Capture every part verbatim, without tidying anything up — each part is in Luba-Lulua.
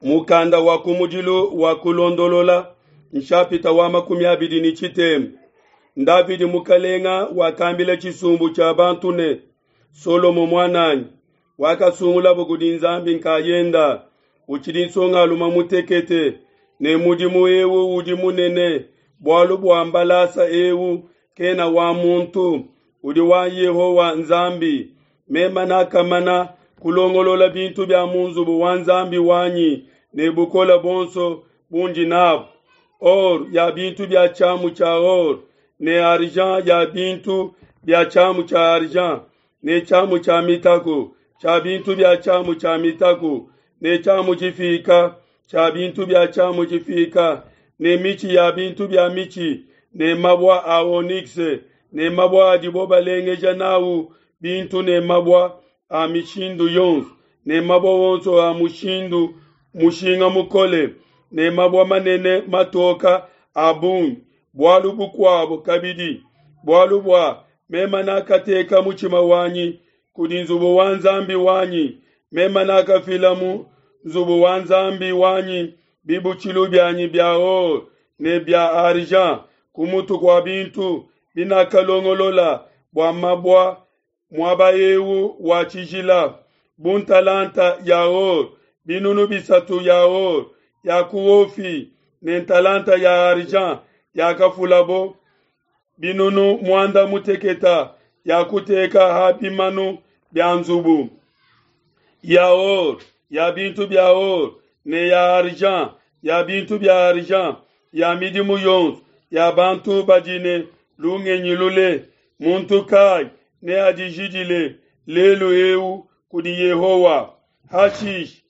Mukanda wa kumudilu wa Kulondolola, nshapita wa makumi abidi ne tshitema. Davidi mukalenga wakambila tshisumbu tshia bantu ne, Solomo muananyi, wakasungulabo kudi Nzambi nkayenda, utshidi nsongalume mutekete, ne mudimu eu udi munene, bualu bua mbalasa eu kena wa muntu, udi wa Yehowa Nzambi. Meme nakamana kulongolola bintu bia mu nzubu wa Nzambi wanyi ne bukole buonso bundi nabu, or ya bintu bia tshiamu tshia or, ne argent ya bintu bia tshiamu tshia argent, ne tshiamu tshia mitaku tshia bintu bia tshiamu tshia mitaku, ne tshiamu tshifika tshia bintu bia tshiamu tshifika, ne mitshi ya bintu bia mitshi, ne mabua a onyx, ne mabua adibo balengeja nawu bintu, ne mabua a mishindu yonso, ne mabua wonso a mushindu mushinga mukole, ne mabua manene matoka a bungi. Bualu bukuabo kabidi, bualu bua meme nakateka mutshima wanyi kudi nzubu wa Nzambi wanyi, meme nakafila mu nzubu wa Nzambi wanyi bibutshilu bianyi bia or ne bia argent ku mutu kua bintu binakalongolola bua mabua muaba eu wa tshijila, bu ntalanta ya or binunu bisatu ya or ya ku Ofi ne ntalanta ya argent yakafulabo binunu muanda muteketa ya kuteka ha bimanu bia nzubu ya or ya bintu bia or ne ya argent ya bintu bia argent ya midimu yonso ya bantu badi ne lungenyi lule. Muntu kai neadijidile lelu eu kudi Yehowa? Hashish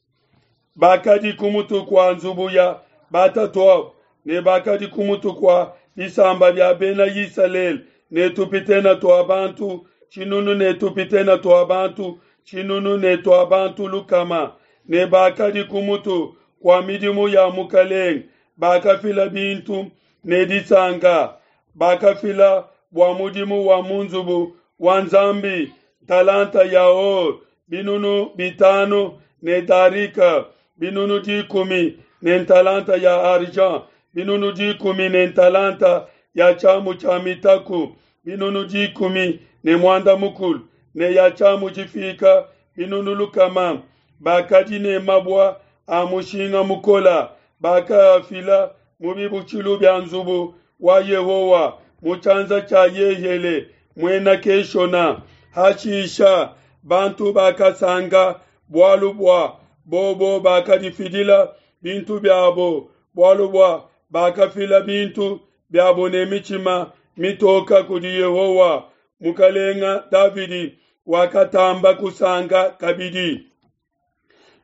bakadi ku mutu kua nzubu ya batatuabo ne bakadi ku mutu kua bisamba bia bena Isalele ne tupitene tua bantu tshinunu ne tupitene tua bantu tshinunu ne tua bantu lukama, ne bakadi ku mutu kua midimu ya mukalenge. Bakafila bintu ne disanka, bakafila bua mudimu wa mu nzubu wa Nzambi talanta ya or binunu bitanu ne darika binunu dikumi ne talanta ya argent binunu dikumi ne talanta ya tshiamu tshia mitaku binunu dikumi ne muanda mukulu ne ya tshiamu tshifika binunu lukama. Bakadi ne mabua a mushinga mukola, bakafila mu bibutshilu bia nzubu wa Yehowa mu tshianza tshia Yehele muena Keshona. Hashisha bantu bakasanka bualu bua bobo bakadifidila bintu biabo, bualu bua bakafila bintu biabo ne mitshima mitoka kudi Yehowa. Mukalenga Davidi wakatamba kusanka kabidi.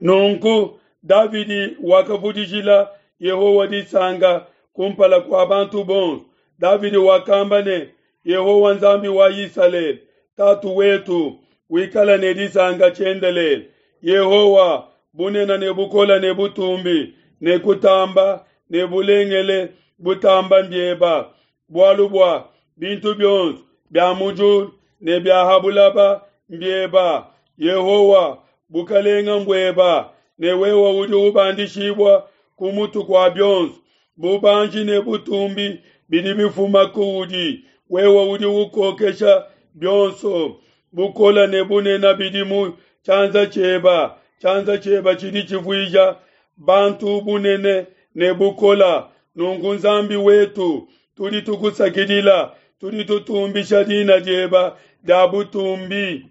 Nunku Davidi wakavudijila Yehowa disanka kumpala kua bantu bonso. Davidi wakamba ne, Yehowa Nzambi wa Isalele, tatu wetu, wikala ne disanka tshiendelele. Yehowa, bunene ne bukole ne butumbi ne kutamba ne bulengele butamba mbieba, bualu bua bintu bionso bia mu diulu ne bia ha bulaba mbieba. Yehowa, bukalenga mbueba, ne wewe udi ubandishibua ku mutu kua bionso. Bubanji ne butumbi bidi bifuma kuudi, wewe udi ukokesha bionso. Bukole ne bunene bidi mu tshianza tshieba, tshianza tshieba tshidi tshivuija bantu bunene ne bukola. Nunku Nzambi wetu, tudi tukusakidila, tudi tutumbisha dina dieba dia butumbi.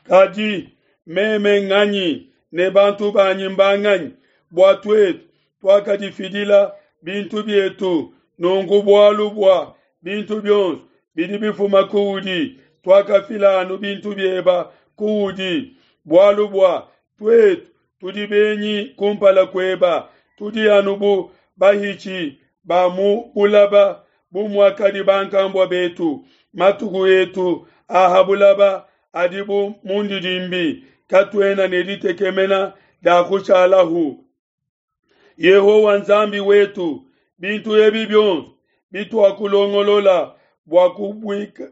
Kadi meme nganyi ne bantu banyi mbanganyi bua tuetu tuakadifidila bintu bietu? Nunku bualu bua bintu bionso bidi bifuma kuudi, tuakafila anu bintu bieba kuudi. Bualu bua tuetu tudi benyi kumpala kueba, tudi anu bu bahitshi ba mu bulaba, bu muakadi bankambua betu. Matuku etu a ha bulaba adi bu mundidimbi, katuena ne ditekemena dia kushalahu. Yehowa Nzambi wetu, bintu ebi bionso bituakulongolola bua kubuika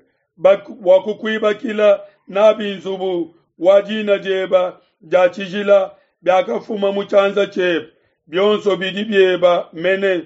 bua kukuibakila nabi nzubu wa dina dieba dia tshijila biakafuma mu tshianza tshiebe, bionso bidi bieba mene.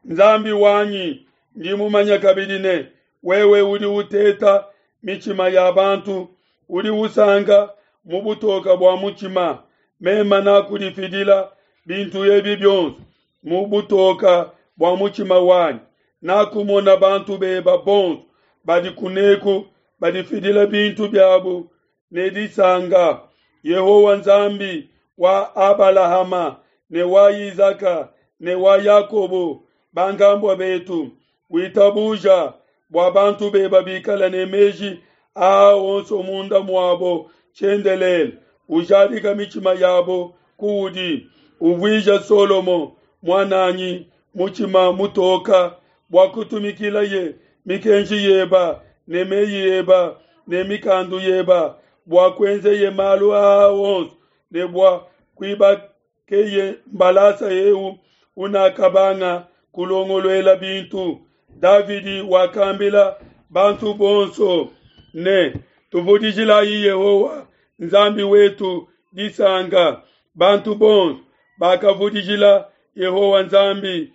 Nzambi wanyi, ndi mumanya kabidi ne, wewe udi uteta mitshima ya bantu, udi usanka mu butoka bua mutshima. Mema nakudifidila bintu ebi bionso mu butoka bua mutshima wanyi. Nakumona bantu beba bonso badi kuneku badifidila bintu biabu ne disanga. Yehowa Nzambi wa Abalahama ne wa Izaka ne wa Yakobo bankambua betu, witabuja bua bantu beba bikala ne meji aa onso munda muabo tshiendelele, ujadika mitshima yabo kuudi, uvuija Solomo muananyi mutshima mutoka bua kutumikilaye mikenji yeba ne meyi eba ne mikandu yeba, bua kuenzeye malu aa onso ne bua kuibakeye mbalasa eu unakabanga kulongoluela bintu. Davidi wakambila bantu bonso ne, tuvudijilayi Yehowa Nzambi wetu disanka. Bantu bonso bakavudijila Yehowa Nzambi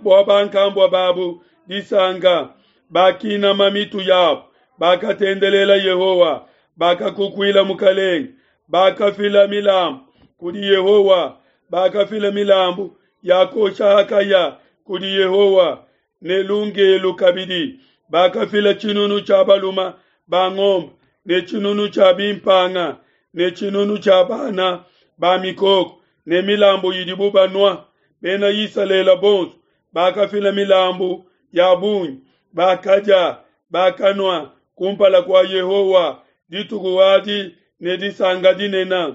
wa bankambua babu disanka, bakinama mitu yabo, bakatendelela Yehowa, bakakukuila mukalenge, bakafila milambu kudi Yehowa, bakafila milambu ya kosha hakaya kudi Yehowa ne lungelu kabidi. Bakafila tshinunu tshia baluma ba ngombe ne tshinunu tshia bimpanga ne tshinunu tshia bana ba mikoko ne milambu idibu banua. Bena Isalele bonso bakafila milambu ya bungi, bakadia, bakanua kumpala kua Yehowa dituku adi ne disanka dinene.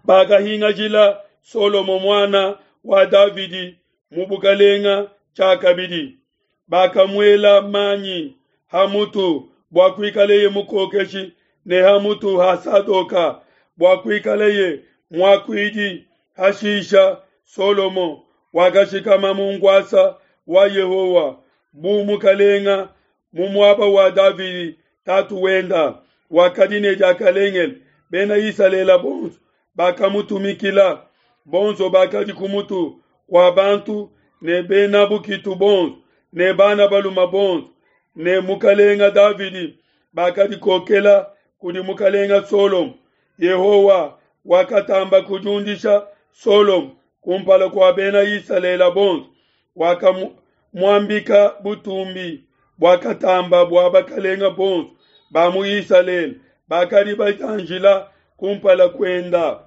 Bakahingajila Solomo muana wa Davidi mu bukalenga tshiakabidi. Bakamuela manyi ha mutu bua kuikaleye mukokeshi ne ha mutu ha Sadoka bua kuikaleye muakuidi. Hashisha Solomo wakashikama mu nkuasa wa Yehowa bu mukalenga mu muaba wa Davidi tatu wenda, wakadi ne diakalengele. Bena Isalele bonso bakamutumikila, bonso bakadi ku mutu kua bantu ne bena bukitu bonso ne bana baluma bonso ne mukalenga Davidi bakadikokela kudi mukalenga Solomo. Yehowa wakatamba kudiundisha Solomo kumpala kua bena Isalele bonso, wakamuambika butumbi buakatamba bua bakalenga bonso ba mu Isalele bakadi bajanjila kumpala kuenda.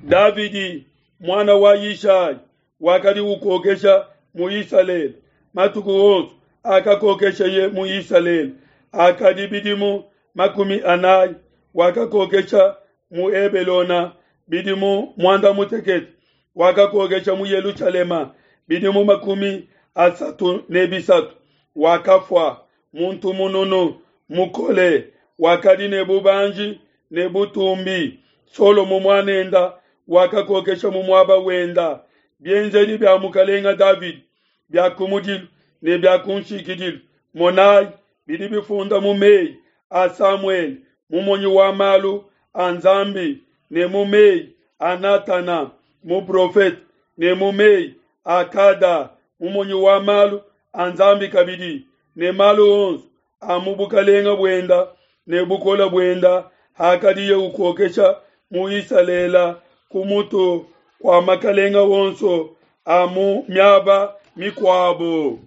Davidi muana wa Yishai wakadi ukokesha mu Isalele matuku onso akakokesheye mu Isalele akadi bidimu makumi anayi. Wakakokesha mu Hebelona bidimu mwanda mutekete, wakakokesha mu Yelushalema bidimu makumi asatu ne bisatu. Wakafua muntu mununu mukole, wakadi ne bubanji ne butumbi. Solomo muanenda wakakokesha mu muaba wenda. Bienzedi bia mukalenga Davidi bia kumudilu ne bia kunshikidilu, monayi, bidi bifunda mu meyi a Samuele mumonyi wa malu a Nzambi ne mu meyi a Natana muprofete ne mu meyi a Kada mumonyi wa malu a Nzambi kabidi, ne malu onso a mu bukalenga buenda ne bukole buenda hakadiye ukokesha mu Isalele ku mutu kua makalenga onso a mu miaba mikuabo.